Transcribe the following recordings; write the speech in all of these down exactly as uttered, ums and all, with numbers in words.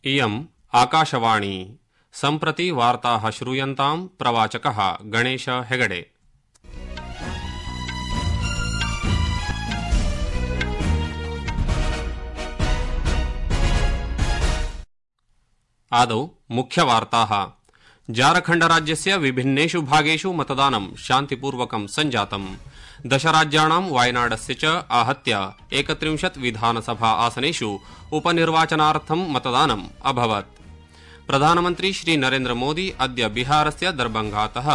इयम् आकाशवाणी सम्प्रति वार्ताः श्रूयन्ताम् प्रवाचकः गणेश हेगडे। आदौ मुख्यवार्ताः। झारखण्ड राज्यस्य विभिन्नेषु भागेषु मतदानं शान्तिपूर्वकं सञ्जातम्। दशराज्याणां वायनाडस्य च आहत्य एकत्रिंशत् विधानसभा आसनेषु उपनिर्वाचनार्थं मतदानम् अभवत्। प्रधानमन्त्री श्री नरेन्द्र मोदी अद्य बिहारस्य दरभंगातः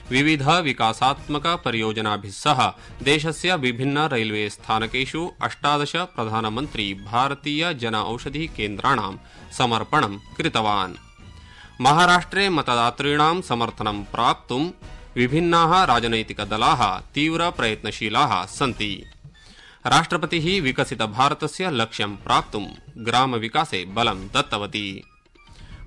विविध विकासात्मक परियोजनाभिः सह देशस्य विभिन्न रैल्वे स्थानकेषु अष्टादश प्रधानमन्त्री भारतीय जन औषधि केन्द्राणां समर्पणं कृतवान्। महाराष्ट्रे मतदातॄणां समर्थनं प्राप्तुं विभिन्नाः राजनैतिकदलाः तीव्र प्रयत्नशीलाः सन्ति। राष्ट्रपतिः विकसित भारतस्य लक्ष्यं प्राप्तुं ग्रामविकासे बलं दत्तवती।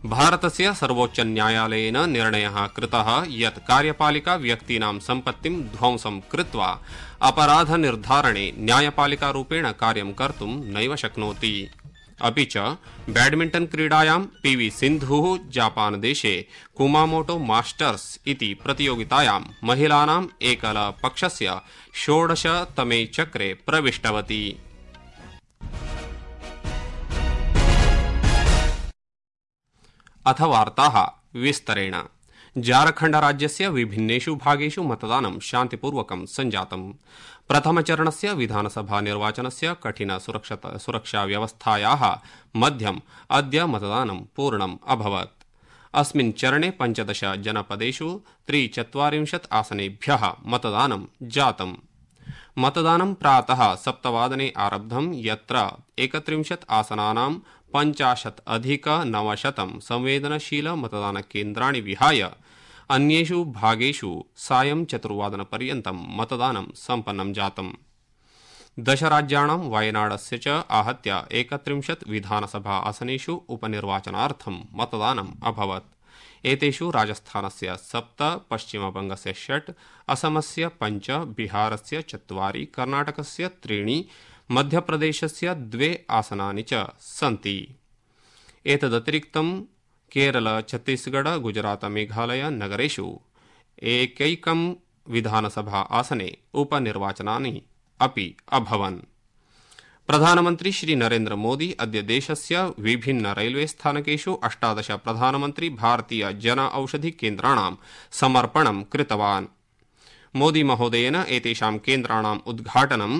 भारतस्य सर्वोच्च न्यायालयेन निर्णयः कृतः यत् कार्यपालिका व्यक्तीनां सम्पत्तिं ध्वंसं कृत्वा अपराधनिर्धारणे न्यायपालिकारूपेण कार्यं कर्तुं नैव शक्नोति। अपि च बैडमिण्टन क्रीडायां पीवी सिन्धुः जापानदेशे कुमामोटो मास्टर्स इति प्रतियोगितायां महिलानाम् एकलपक्षस्य षोडशतमे चक्रे प्रविष्टवती। अथ वार्ताः विस्तरेण। झारखण्ड राज्यस्य विभिन्नेषु भागेषु मतदानं शान्तिपूर्वकं सञ्जातम्। प्रथमचरणस्य विधानसभा निर्वाचनस्य कठिन सुरक्षा व्यवस्थायाः मध्यम् अद्य मतदानं पूर्णम् अभवत्। अस्मिन् चरणे पञ्चदश जनपदेषु त्रिचत्वारिंशत् आसनेभ्यः मतदानं जातम्। मतदानं प्रातः सप्तवादने आरब्धं, यत्र एकत्रिंशत् आसनानां पञ्चाशत् अधिक नवशतं संवेदनशील मतदानकेन्द्राणि विहाय अन्येषु भागेषु सायं चतुर्वादनपर्यन्तं मतदानं सम्पन्नं जातम्। दशराज्याणां वायनाडस्य च आहत्य एकत्रिंशत् विधानसभा आसनेषु उपनिर्वाचनार्थं मतदानम् अभवत्। एतेषु राजस्थानस्य सप्त, पश्चिमबंगस्य षट्, असमस्य पञ्च, बिहारस्य चत्वारि, कर्णाटकस्य त्रीणि, मध्यप्रदेशस्य द्वे आसनानि च सन्ति। एतदतिरिक्तं केरल, छत्तीसगढ़, गुजरात, मेघालय नगरेषु एकैकं विधानसभा आसने उपनिर्वाचनानि अपि अभवन्। प्रधानमन्त्री श्री नरेन्द्र मोदी अद्य देशस्य विभिन्न रैल्वे स्थानकेषु अष्टादश प्रधानमन्त्री भारतीय जन औषधि केन्द्राणां समर्पणं कृतवान्। मोदी महोदयेन एतेषां केन्द्राणाम् उद्घाटनं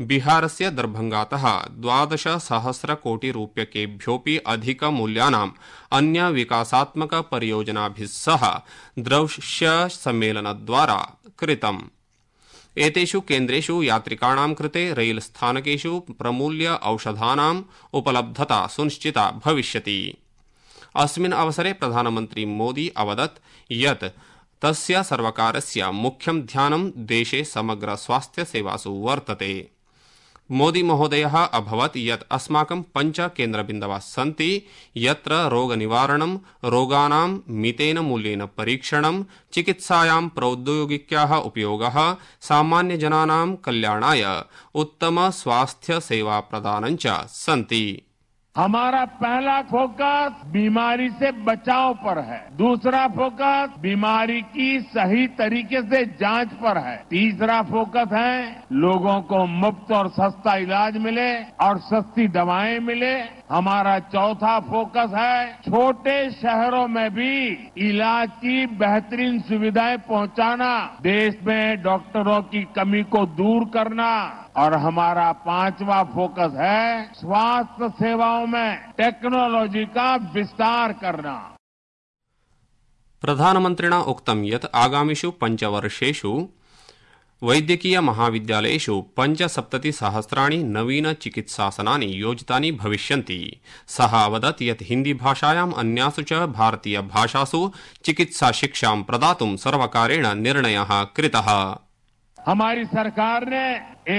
बिहारस्य दरभंगातः द्वादश सहस्र कोटि रूप्यकेभ्योऽपि अधिक मूल्यानाम् अन्य विकासात्मक परियोजनाभिः सह दृश्य सम्मेलनद्वारा कृतम्। एतेषु केन्द्रेषु यात्रिकाणां कृते रैल स्थानकेषु प्रमूल्य औषधानाम् उपलब्धता सुनिश्चिता भविष्यति। अस्मिन् अवसरे प्रधानमन्त्री मोदी अवदत् यत् तस्य सर्वकारस्य मुख्यं ध्यानं देशे समग्र स्वास्थ्य सेवासु वर्तते। मोदी महोदयः अभवत् यत् अस्माकं पञ्च केन्द्रबिन्दवः सन्ति, यत्र रोगनिवारणं, रोगाणां मितेन मूल्येन परीक्षणं, चिकित्सायां प्रौद्योगिक्याः उपयोगः, सामान्यजनानां कल्याणाय उत्तम स्वास्थ्य सेवा प्रदानं च सन्ति। हमारा पहला फोकस बीमारी से बचाव पर है, दूसरा फोकस बीमारी की सही तरीके से जांच पर है, तीसरा फोकस है लोगों को मुफ्त और सस्ता इलाज मिले और सस्ती दवाएं मिले, हमारा चौथा फोकस है छोटे शहरों में भी इलाज की बेहतरीन सुविधाएं पहुंचाना, देश में डॉक्टरों की कमी को दूर करना, और हमारा पांचवा फोकस है स्वास्थ्य सेवाओं में टेक्नोलॉजी का विस्तार करना। प्रधानमन्त्रिणा उक्तं यत् आगामिषु पञ्चवर्षेषु वैद्यकीय महाविद्यालयेषु पञ्चसप्तति सहस्राणि नवीन चिकित्सासनानि योजितानि भविष्यन्ति। सः अवदत् यत् हिन्दी भाषायाम् अन्यासु च भारतीय भाषासु चिकित्सा शिक्षां प्रदातुं सर्वकारेण निर्णयः कृतः। हमारी सरकार ने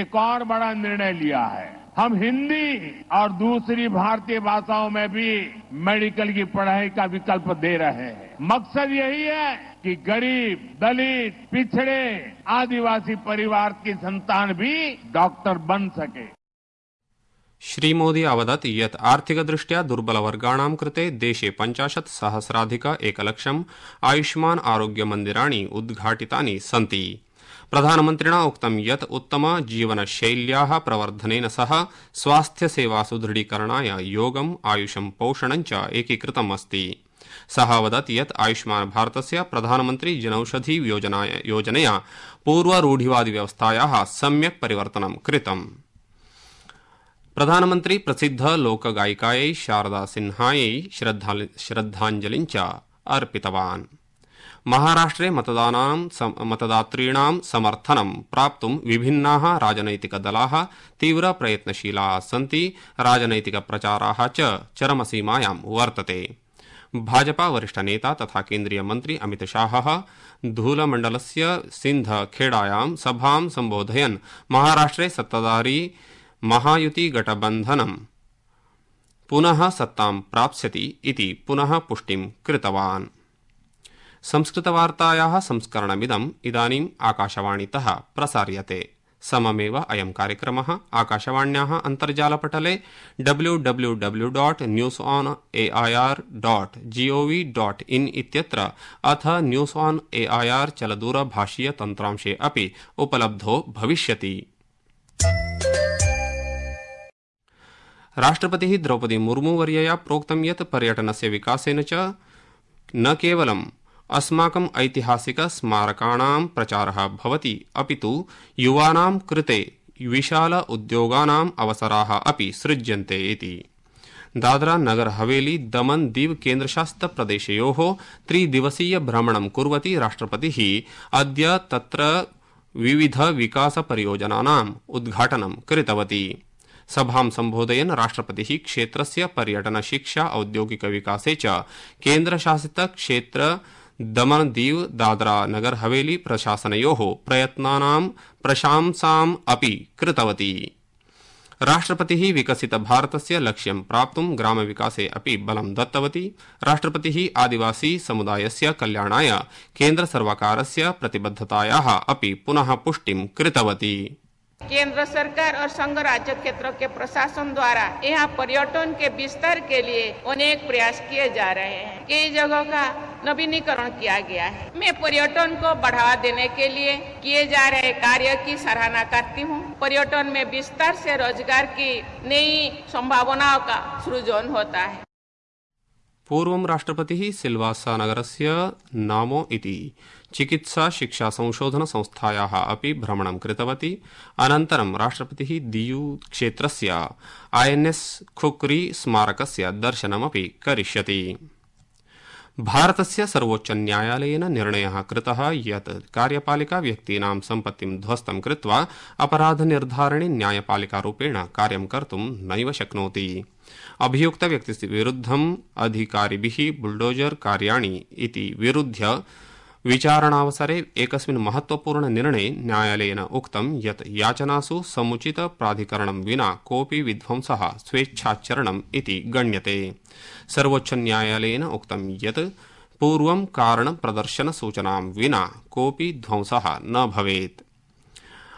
एक और बड़ा निर्णय लिया है, हम हिंदी और दूसरी भारतीय भाषाओं में भी मेडिकल की पढ़ाई का विकल्प दे रहे हैं। मकसद यही है कि गरीब, दलित, पिछड़े, आदिवासी परिवार की संतान भी डॉक्टर बन सके। श्रीमोदी अवदत् यत् आर्थिकदृष्ट्या दुर्बलवर्गाणां कृते देशे पञ्चाशत् सहस्राधिक एकलक्षम् आयुष्मान् आरोग्य मन्दिराणि उद्घाटितानि सन्ति। प्रधानमन्त्रिणा उक्तं यत् उत्तम जीवनशैल्याः प्रवर्धनेन सह स्वास्थ्यसेवा सुदृढीकरणाय योगम् आयुषं पोषणं च एकीकृतम् अस्ति। सः अवदत् यत् आयुष्मान् भारतस्य प्रधानमन्त्री जनौषधि योजनया पूर्वरूढिवादिव्यवस्थायाः सम्यक् परिवर्तनं कृतम्। प्रधानमन्त्री प्रसिद्ध लोकगायिकायै शारदा सिन्हायै श्रद्धाञ्जलिं च अर्पितवान्। महाराष्ट्रे मतदातॄणां समर्थनं प्राप्तुं विभिन्नाः राजनैतिकदलाः तीव्रप्रयत्नशीलाः सन्ति। राजनैतिकप्रचाराः च चरमसीमायां वर्तते। भाजपा वरिष्ठनेता तथा केन्द्रीय मन्त्री अमितशाहः धूलमण्डलस्य सिन्धखेडायां सभां सम्बोधयन् महाराष्ट्रे सत्ताधारी महायुति गठबन्धनं पुनः सत्तां प्राप्स्यति इति पुनः पुष्टिं कृतवान्। संस्कृतवार्तायाः संस्करणमिदम् इदानीम् आकाशवाणीतः प्रसार्यते। सममेव अयं कार्यक्रमः आकाशवाण्याः अन्तर्जालपटले W W W dot news on A I R dot GOV dot in इत्यत्र अथ news on A I R चलदूरभाषीय तन्त्रांशे अपि उपलब्धो भविष्यति। राष्ट्रपतिः द्रौपदी मुर्मुवर्यया प्रोक्तं यत् पर्यटनस्य विकासेन च न केवलम् अस्माकम् ऐतिहासिक स्मारकाणां प्रचारः भवति अपितु युवानां कृते विशाल उद्योगानाम् अवसराः अपि सृज्यन्ते इति। दादरा नगर हवेली दमन दीव केन्द्रशासित प्रदेशयोः त्रिदिवसीय भ्रमणं कुर्वती राष्ट्रपतिः अद्य तत्र विविध विकास परियोजनानाम् उद्घाटनं कृतवती। सभां सम्बोधयन् राष्ट्रपतिः क्षेत्रस्य पर्यटन शिक्षा औद्योगिक विकासे च केन्द्रशासित क्षेत्र दमन दीव दादरा नगर हवेली प्रशासनयोः प्रयत्नानां प्रशंसाम् अपि कृतवती। राष्ट्रपतिः विकसित भारतस्य लक्ष्यं प्राप्तुं ग्रामविकासे अपि बलं दत्तवती। राष्ट्रपतिः आदिवासी समुदायस्य कल्याणाय केन्द्रसर्वकारस्य प्रतिबद्धतायाः अपि पुनः पुष्टिं कृतवती। केंद्र सरकार और संघ राज्य क्षेत्रों के प्रशासन द्वारा यहाँ पर्यटन के विस्तार के लिए अनेक प्रयास किए जा रहे हैं। कई जगहों का नवीनीकरण किया गया है। मैं पर्यटन को बढ़ावा देने के लिए किए जा रहे कार्य की सराहना करती हूँ। पर्यटन में विस्तार से रोजगार की नई संभावनाओं का सृजन होता है। पूर्वं राष्ट्रपतिः सिल्वासा नगरस्य नामो इति चिकित्सा शिक्षा संशोधन संस्थायाः अपि भ्रमणं कृतवती। अनन्तरं राष्ट्रपतिः दीयू क्षेत्रस्य आई एन एस खुक्री स्मारकस्य दर्शनमपि करिष्यति। भारतस्य सर्वोच्च न्यायालयेन निर्णयः कृतः यत् कार्यपालिका व्यक्तीनां सम्पत्तिं ध्वस्तं कृत्वा अपराधनिर्धारणे न्यायपालिकारूपेण कार्यं कर्तुं नैव शक्नोति। अभियुक्तव्यक्तिस्य विरुद्धम् अधिकारिभिः बुलडोजर कार्याणि इति विरुध्य विचारणावसरे एकस्मिन् महत्वपूर्ण निर्णये न्यायालयेन उक्तं यत् याचनासु समुचित प्राधिकरणं विना कोऽपि विध्वंसः स्वेच्छाचरणम् इति गण्यते। सर्वोच्च न्यायालयेन उक्तं यत् पूर्वं कारण प्रदर्शन सूचनां विना कोऽपि ध्वंसः न भवेत्।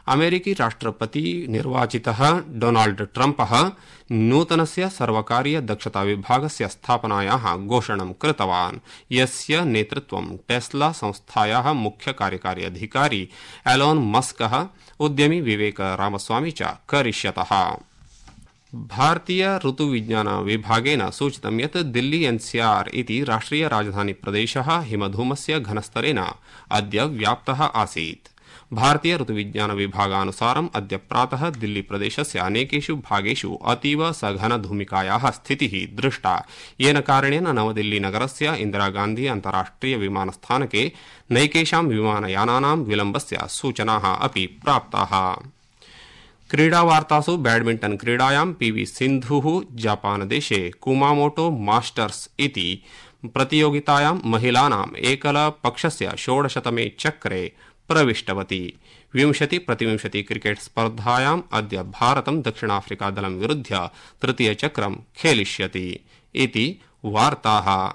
अमेरिकी राष्ट्रपति निर्वाचितः डोनाल्ड ट्रम्पः नूतनस्य सर्वकारीय दक्षता विभागस्य स्थापनायाः घोषणां कृतवान्, यस्य नेतृत्वं टेस्ला संस्थायाः मुख्य कार्यकारी अधिकारी एलोन मस्कः उद्यमी विवेक रामस्वामी च करिष्यतः। भारतीय ऋतुविज्ञान विभागेन सूचितं यत् दिल्ली एनसीआर इति राष्ट्रिय राजधानी प्रदेशः हिमधूमस्य घनस्तरेण अद्य व्याप्तः आसीत्। भारतीय ऋतुविज्ञान विभागानुसारम् अद्य प्रातः दिल्ली प्रदेशस्य अनेकेषु भागेषु अतीव सघन धूमिकायाः स्थितिः दृष्टा, येन कारणेन नवदिल्ली नगरस्य इन्दिरागान्धी अन्ताराष्ट्रिय विमानस्थानके नैकेषां विमानयानानां विलम्बस्य सूचनाः अपि प्राप्ताः। क्रीडावार्तासु बैडमिंटन क्रीडायां पीवी सिन्धुः जापानदेशे कुमामोटो मास्टर्स इति प्रतियोगितायां महिलानाम् एकलपक्षस्य षोडशतमे चक्रे प्रविष्टवती। विंशति प्रतिविंशति क्रिकेट स्पर्धायाम् अद्य भारतं दक्षिणाफ्रिका दलं विरुध्य तृतीयचक्रं खेलिष्यति इति वार्ताः।